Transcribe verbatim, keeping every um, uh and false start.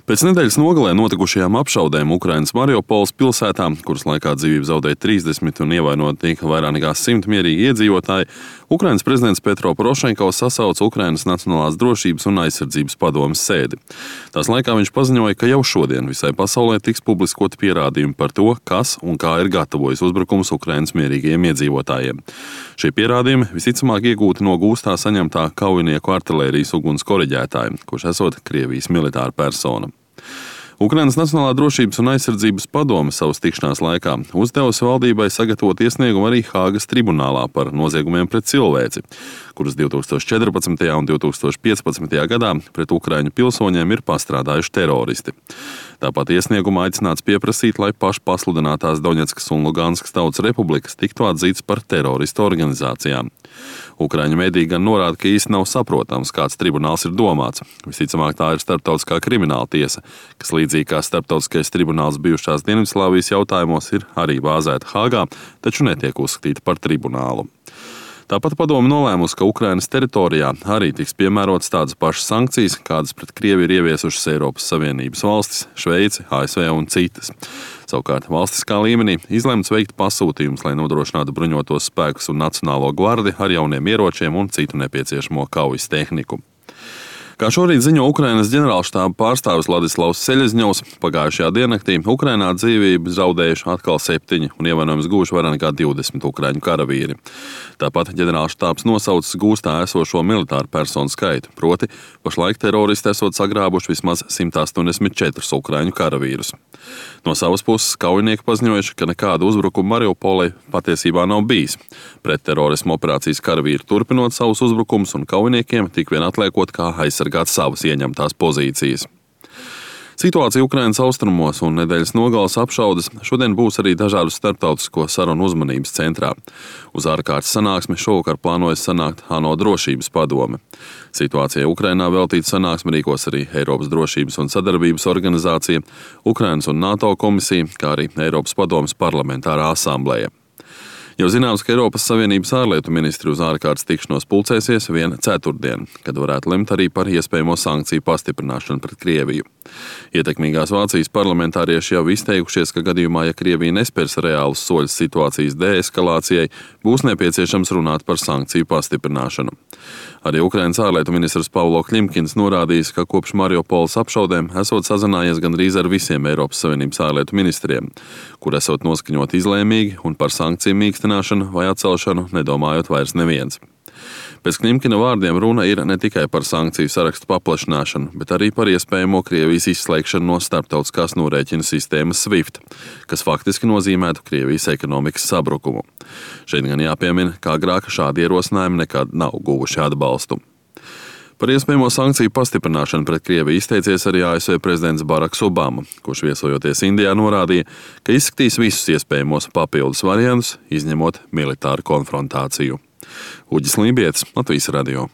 Pēc nedēļas nogalē notikušajām apšaudēm Ukrainas Mariupoles pilsētā, kuras laikā dzīvību zaudēja trīsdesmit un ievainoti tika vairāk nekā simt mierīgi iedzīvotāji, Ukrainas prezidents Petro Porošenko sasauca Ukrainas Nacionālās drošības un aizsardzības padomes sēdi. Tās laikā viņš paziņoja, ka jau šodien visai pasaulē tiks publiskoti pierādījumi par to, kas un kā ir gatavojis uzbrukums Ukrainas mierīgajiem iedzīvotājiem. Šie pierādījumi visticamāk iegūti no gūstā saņemtā kaujinieku artilērijas uguns koriģētāja, kurš esot Krievijas militāra persona. Ukrainas Nacionālā drošības un aizsardzības padome savas tikšanās laikā uzdevusi valdībai sagatavot iesniegumu arī Hāgas tribunālā par noziegumiem pret cilvēci, kuras divi tūkstoši četrpadsmitajā un divi tūkstoši piecpadsmitajā gadā pret ukraiņu pilsoņiem ir pastrādājuši teroristi. Tāpat iesniegumā aicināts pieprasīt, lai pašpasludinātās Doņetskas un Luganskas tautas republikas tiktu atzītas par teroristu organizācijām. Ukraiņu mediji gan norāda, ka īsti nav saprotams, kāds tribunāls ir domāts. Visticamāk, tā ir starptautiskā krimināla tiesa, kas līdzīgi kā starptautiskais tribunāls bijušās Dienvidslāvijas jautājumos ir arī bāzēta Hāgā, taču netiek uzskatīta par tribunālu. Tāpat padome nolēmusi, ka Ukrainas teritorijā arī tiks piemērotas tādas pašas sankcijas, kādas pret Krieviju ir ieviesušas Eiropas Savienības valstis, Šveici, A S V un citas. Savukārt valstiskā līmenī izlemts veikt pasūtījumus, lai nodrošinātu bruņotos spēkus un Nacionālo gvardi ar jauniem ieročiem un citu nepieciešamo kaujas tehniku. Kā šorīt ziņo Ukrainas ģenerālštāba pārstāvis Ladislavs Seļezņovs, pagājušajā diennaktī Ukrainā dzīvību zaudējuši atkal septiņi un ievainojumus guvuši vairāk nekā divdesmit ukraiņu karavīri. Tāpat ģenerālštābs nosaucis gūstā esošo militāru personu skaitu, proti pašlaik teroristi esot sagrābuši vismaz simt astoņdesmit četrus ukraiņu karavīrus. No savas puses kaujinieki paziņojuši, ka nekāda uzbrukuma Mariupolei patiesībā nav bijis. Pret terorismu operācijas karavīri turpinot savus uzbrukumus un kaujiniekiem tik vien atliekot kā aizsargāt savas ieņemtās pozīcijas. Situācija Ukrainas austrumos un nedēļas nogales apšaudes šodien būs arī dažādu starptautisko sarunu uzmanības centrā. Uz ārkārtas sanāksmi šovakar plānojas sanākt ANO drošības padome. Situācijai Ukrainā veltīta sanāksme rīkos arī Eiropas drošības un sadarbības organizācija, Ukrainas un NATO komisija, kā arī Eiropas padomes parlamentārā asambleja. Jau zināms, ka Eiropas Savienības ārlietu ministri uz ārkārtas tikšanos pulcēsies vien ceturtdien, kad varētu lemt arī par iespējamo sankciju pastiprināšanu pret Krieviju. Ietekmīgās Vācijas parlamentārieši jau izteikušies, ka gadījumā, ja Krievija nespērs reālus soļus situācijas deeskalācijai, būs nepieciešams runāt par sankciju pastiprināšanu. Arī Ukrainas ārlietu ministrs Pavlo Klimkins norādījis, ka kopš Mariupoles apšaudēm esot sazinājies gandrīz ar visiem Eiropas Savienības ārlietu ministriem, kur esot noskaņot izlēmīgi un par sankciju mīkstināšanu vai atcelšanu nedomājot vairs neviens. Pēc Klimkina vārdiem runa ir ne tikai par sankciju sarakstu paplašināšanu, bet arī par iespējamo Krievijas izslēgšanu no starptautiskās norēķinu sistēmas SWIFT, kas faktiski nozīmētu Krievijas ekonomikas sabrukumu. Šeit gan jāpiemina, kā agrāk šādi ierosinājumi nekad nav guvuši atbalstu. Par iespējamo sankciju pastiprināšanu pret Krieviju izteicies arī A S V prezidents Baraks Obama, kurš viesojoties Indijā norādīja, ka izskatīs visus iespējamos papildus variantus, izņemot militāru konfrontāciju. Uģis Lībietis, Latvijas radio.